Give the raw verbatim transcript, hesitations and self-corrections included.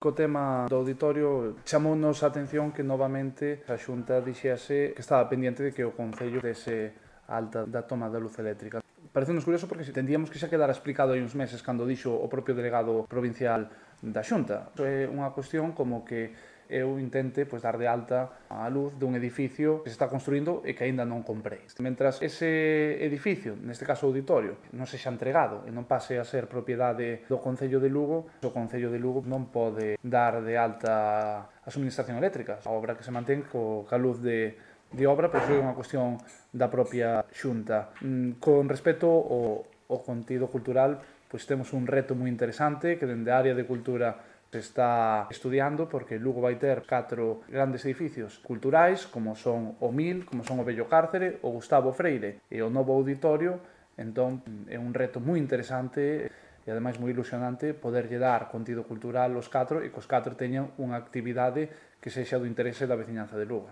Co tema do auditorio, chamounos a atención que novamente a Xunta dixese que estaba pendiente de que o Concello dese alta da toma da luz eléctrica. Pareceu-nos curioso porque entendíamos que xa quedara explicado hai uns meses cando dixo o propio delegado provincial da Xunta. É unha cuestión como que eu intente pois, dar de alta a luz dun edificio que se está construindo e que aínda non comprei. Mentras ese edificio, neste caso o auditorio, non sexa entregado e non pase a ser propiedade do Concello de Lugo, o Concello de Lugo non pode dar de alta a suministración eléctrica. A obra que se mantén co, ca luz de, de obra, pois é unha cuestión da propia Xunta. Con respecto ao, ao contido cultural, pois temos un reto moi interesante que dende a área de cultura se está estudiando porque Lugo vai ter catro grandes edificios culturais como son o Mil, como son o Vello Cárcere, o Gustavo Freire e o novo auditorio. Entón é un reto moi interesante e ademais moi ilusionante poderlle dar contido cultural aos catro e que os catro teñan unha actividade que sexa do interese da veciñanza de Lugo.